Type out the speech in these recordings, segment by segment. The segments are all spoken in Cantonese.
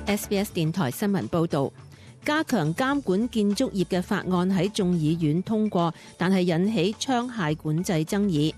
SBS 電台新聞報導，加強監管建築業嘅法案喺眾議院通過，但係引起槍械管制爭議。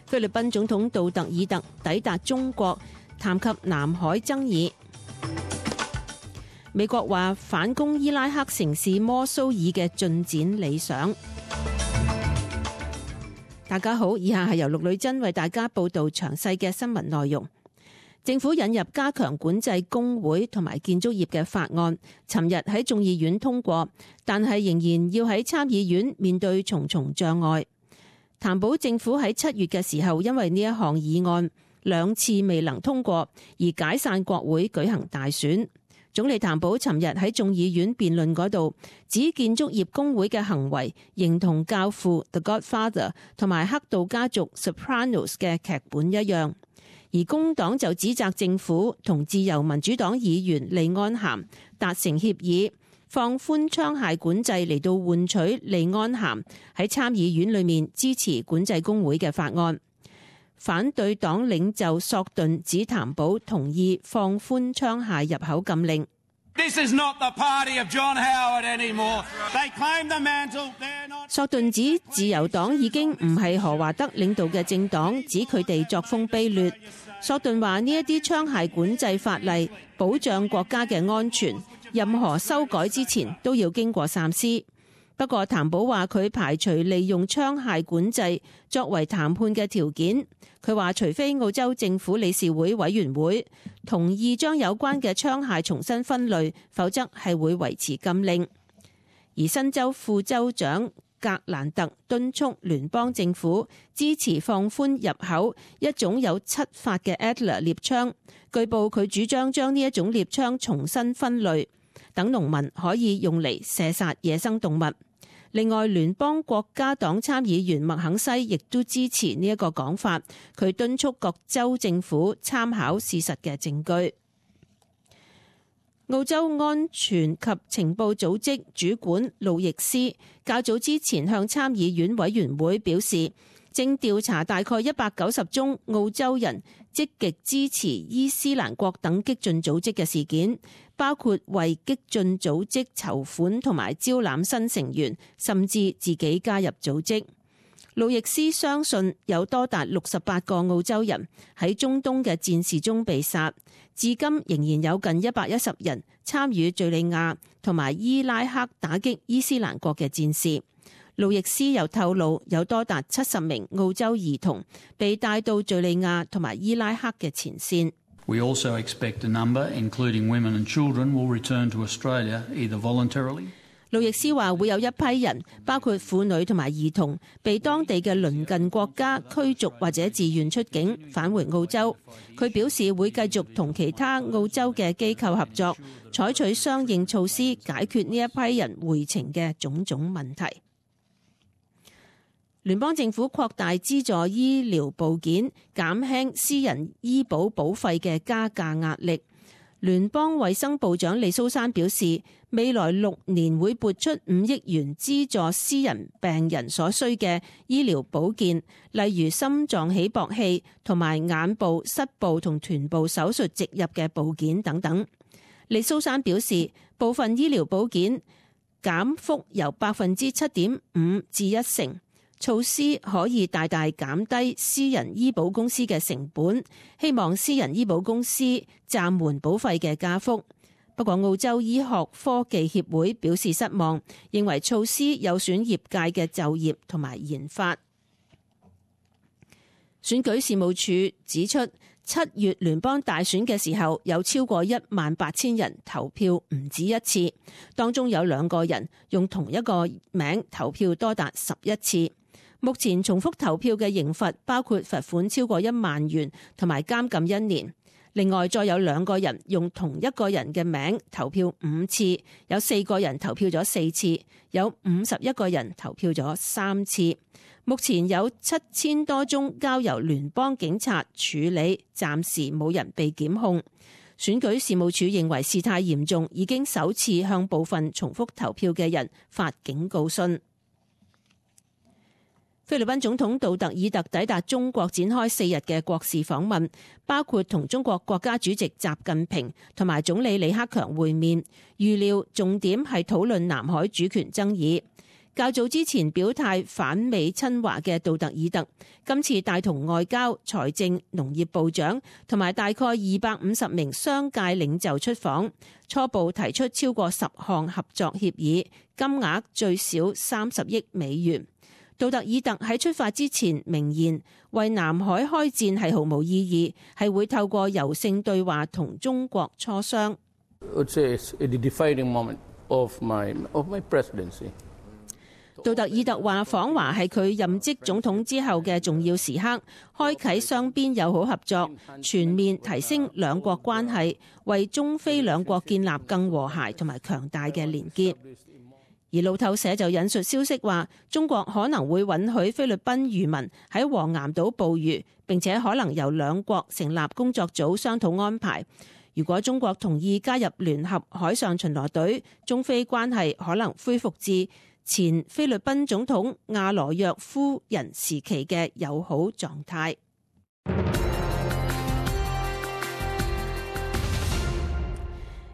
菲律賓總統杜特爾特抵達中國，談及南海爭議。美國話反攻伊拉克城市摩蘇爾嘅進展理想。大家好，以下係由陸女真為大家報導詳細嘅新聞內容。政府引入加強管制工會同埋建築業嘅法案，尋日喺眾議院通過，但係仍然要喺參議院面對重重障礙。譚寶政府喺7月嘅時候，因為呢一項議案2次未能通過，而解散國會舉行大選。總理譚寶尋日喺眾議院辯論嗰度指建築業工會嘅行為形同教父 The Godfather 同埋黑道家族 Sopranos 嘅劇本一樣。而工黨就指責政府同自由民主黨議員利安咸達成協議，放寬槍械管制嚟到換取利安咸喺參議院裏面支持管制工會嘅法案。反對黨領袖索頓指譚寶同意放寬槍械入口禁令。索頓指自由黨已經唔係何華德領導嘅政黨，指佢哋作風卑劣。索頓話呢一啲槍械管制法例保障國家嘅安全，任何修改之前都要經過三思。不過譚寶話佢排除利用槍械管制作為談判嘅條件。佢話除非澳洲政府理事會委員會同意將有關嘅槍械重新分類，否則係會維持禁令。而新州副州長格蘭特敦促聯邦政府支持放寬入口一種有7發嘅 Adler 獵槍。據報佢主張將呢一種獵槍重新分類，等農民可以用嚟射殺野生動物。另外，聯邦國家黨參議員麥肯西亦都支持呢一個講法，佢敦促各州政府參考事實嘅證據。澳洲安全及情報組織主管路易斯較早之前向參議院委員會表示，正調查大概190宗澳洲人積極支持伊斯蘭國等激進組織嘅事件，包括為激進組織籌款同埋招攬新成員，甚至自己加入組織。路易斯相信有多達68個澳洲人喺中東嘅戰事中被殺，至今仍然有近110人參與敘利亞同埋伊拉克打擊伊斯蘭國嘅戰事。路易斯又透露，有多達70名澳洲兒童被帶到敘利亞同埋伊拉克嘅前線。We also expect a number, including women and children, will return to Australia either voluntarily. 路易斯話會有一批人，包括婦女同埋兒童，被當地嘅鄰近國家驅逐或者自願出境返回澳洲。佢表示會繼續同其他澳洲嘅機構合作，採取相應措施解決呢一批人回程嘅種種問題。聯邦政府擴大資助醫療部件，減輕私人醫保保費嘅加價壓力。聯邦衛生部長李蘇珊表示，未來6年會撥出5億元資助私人病人所需嘅醫療保健，例如心臟起搏器同埋眼部、膝部同臀部手術植入嘅部件等等。李蘇珊表示，部分醫療保健減幅由 7.5% 至1%。措施可以大大減低私人醫保公司嘅成本，希望私人醫保公司暫緩保費嘅加幅。不過澳洲醫學科技協會表示失望，認為措施有損業界嘅就業同埋研發。選舉事務處指出，7月聯邦大選嘅時候有超過18000人投票唔止一次，當中有2個人用同一個名投票多達11次。目前重複投票嘅刑罰包括罰款超過1萬元同埋監禁1年。另外再有2個人用同一個人嘅名投票5次，有4個人投票咗4次，有51個人投票咗3次。目前有7000多宗交由聯邦警察處理，暫時冇人被檢控。選舉事務處認為事態嚴重，已經首次向部分重複投票嘅人發警告信。菲律賓總統杜特爾特抵達中國展開4日嘅國事訪問，包括同中國國家主席習近平同埋總理李克強會面，預料重點係討論南海主權爭議。較早之前表態反美親華嘅杜特爾特，今次帶同外交、財政、農業部長同埋大概250名商界領袖出訪，初步提出超過10項合作協議，金額最少30億美元。杜特爾特喺出發之前明言，為南海開戰係毫無意義，係會透過柔性對話同中國磋商。杜特爾特話訪華係佢任職總統之後嘅重要時刻，開啟雙邊友好合作，全面提升兩國關係，為中菲兩國建立更和諧同埋強大嘅連結。而路透社就引述消息話，中國可能會允許菲律賓漁民喺黃岩島捕魚，並且可能由兩國成立工作組商討安排。如果中國同意加入聯合海上巡邏隊，中菲關係可能恢復至前菲律賓總統亞羅約夫人時期嘅友好狀態。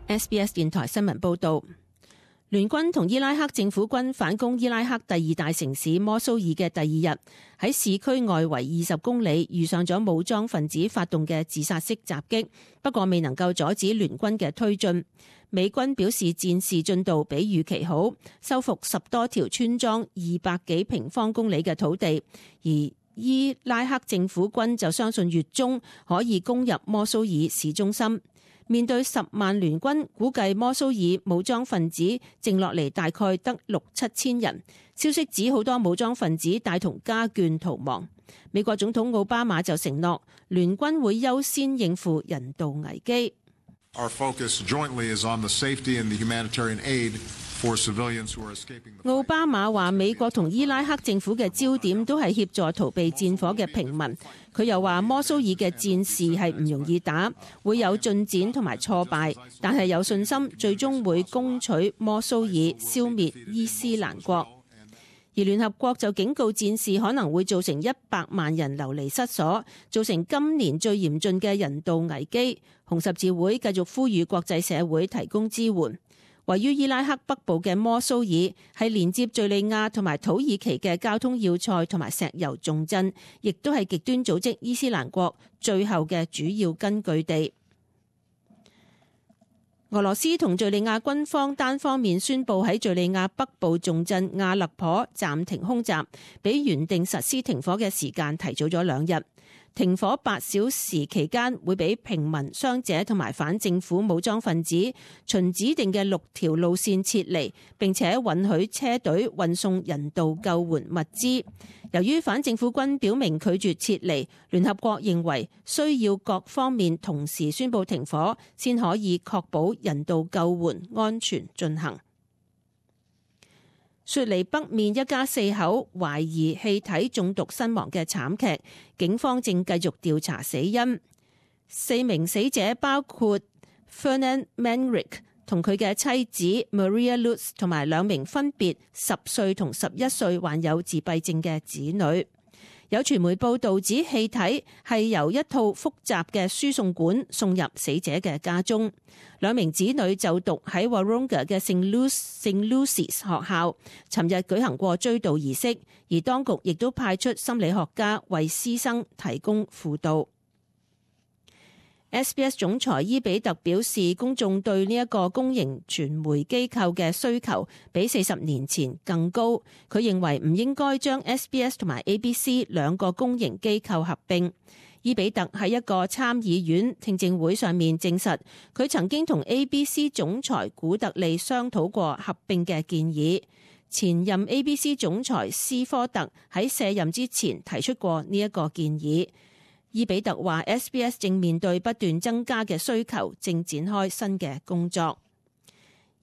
SBS 電台新聞報導，聯軍同伊拉克政府軍反攻伊拉克第2大城市摩蘇爾嘅第2日，喺市區外圍20公里遇上咗武裝分子發動嘅自殺式襲擊，不過未能夠阻止聯軍嘅推進。美軍表示戰事進度比預期好，收復10多條村莊、200幾平方公里嘅土地，而伊拉克政府軍就相信月中可以攻入摩蘇爾市中心。面對10萬聯軍，估計摩蘇爾武裝分子剩落嚟大概得6-7千人。消息指好多武裝分子帶同家眷逃亡。美國總統奧巴馬就承諾聯軍會優先應付人道危機。Our focus jointly is on the safety and the humanitarian aid for civilians who are escaping the fight. 奧巴馬話美國同伊拉克政府嘅焦點都係協助逃避戰火嘅平民。佢又話摩蘇爾嘅戰事係唔容易打，會有進展同埋挫敗，但係有信心最終會攻取摩蘇爾，消滅伊斯蘭國。而聯合國就警告戰事可能會造成100萬人流離失所，造成今年最嚴峻嘅人道危機。紅十字會繼續呼籲國際社會提供支援。位於伊拉克北部嘅摩蘇爾係連接敘利亞同埋土耳其嘅交通要塞同埋石油重鎮，亦都係極端組織伊斯蘭國最後嘅主要根據地。俄羅斯同敘利亞軍方單方面宣布喺敘利亞北部重鎮亞勒頗暫停空襲，比原定實施停火嘅時間提早咗2日。停火8小時期間會俾平民、傷者同埋反政府武裝分子循指定嘅6條路線撤離，並且允許車隊運送人道救援物資。由於反政府軍表明拒絕撤離，聯合國認為需要各方面同時宣布停火，先可以確保人道救援安全進行。雪梨北面一家4口懷疑氣體中毒身亡嘅慘劇，警方正繼續調查死因。4名死者包括 Fernand Manrique 同佢嘅妻子 Maria Lutz 同埋2名分別10歲同11歲患有自閉症嘅子女。有傳媒報道指氣體係由一套複雜嘅輸送管送入死者嘅家中。2名子女就讀喺 Wahroonga 嘅聖 Lucy's 學校，尋日舉行過追悼儀式，而當局亦都派出心理學家為師生提供輔導。SBS 總裁伊比特表示，公眾對呢一個公營傳媒機構嘅需求比40年前更高。佢認為唔應該將 SBS 同埋 ABC 2個公營機構合併。伊比特喺一個參議院聽證會上面證實，佢曾經同 ABC 總裁古特利商討過合併嘅建議。前任 ABC 總裁斯科特喺卸任之前提出過呢一個建議。伊比特話 SBS 正面對不斷增加嘅需求，正展開新嘅工作。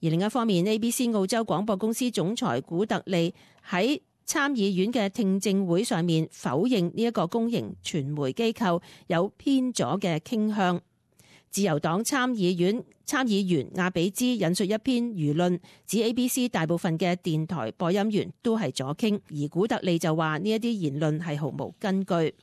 而另一方面， ABC 澳洲廣播公司總裁古特利喺參議院嘅聽證會上面否認呢一個公營傳媒機構有偏左嘅傾向。自由黨參議員亞比茲引述一篇輿論，指 ABC 大部分嘅電台播音員都係左傾，而古特利就話呢一啲言論係毫無根據。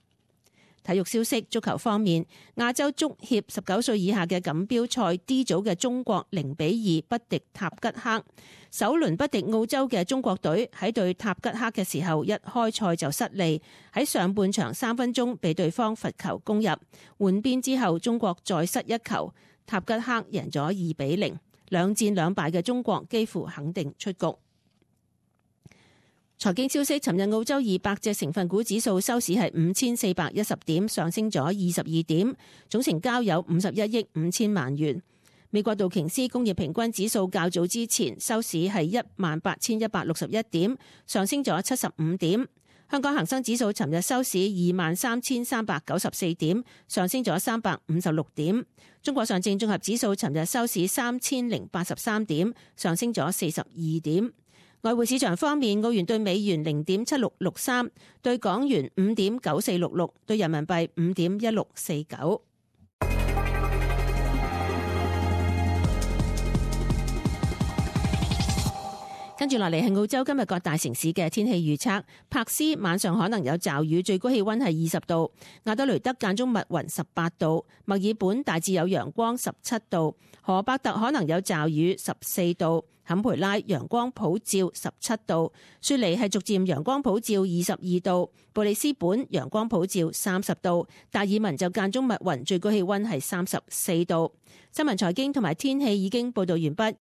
體育消息，足球方面，亞洲足協19歲以下嘅錦標賽 D 組嘅中國0-2不敵塔吉克。首輪不敵澳洲嘅中國隊喺對塔吉克嘅時候，一開賽就失利，喺上半場3分鐘被對方罰球攻入，換邊之後中國再失一球，塔吉克贏咗2-0，兩戰兩敗嘅中國幾乎肯定出局。財經消息，尋日澳洲200隻成分股指數收市係5410點，上升咗22點，總成交有51億5千萬元。美國道瓊斯工業平均指數較早之前收市係18161點，上升咗75點。香港恒生指數尋日收市23394點，上升咗356點。中國上證綜合指數尋日收市3083點，上升咗42點。外匯市場方面，澳元對美元0.7663，對港元5.9466，對人民幣5.1649。跟住落嚟係澳洲今日各大城市嘅天氣預測。柏斯晚上可能有驟雨，最高氣溫係20度；亞德雷德間中密雲18度；墨爾本大致有陽光17度；荷伯特可能有驟雨14度；坎培拉陽光普照17度；雪梨係逐漸陽光普照22度；布里斯本陽光普照30度；達爾文就間中密雲，最高氣溫係34度。新聞財經同埋天氣已經報道完畢。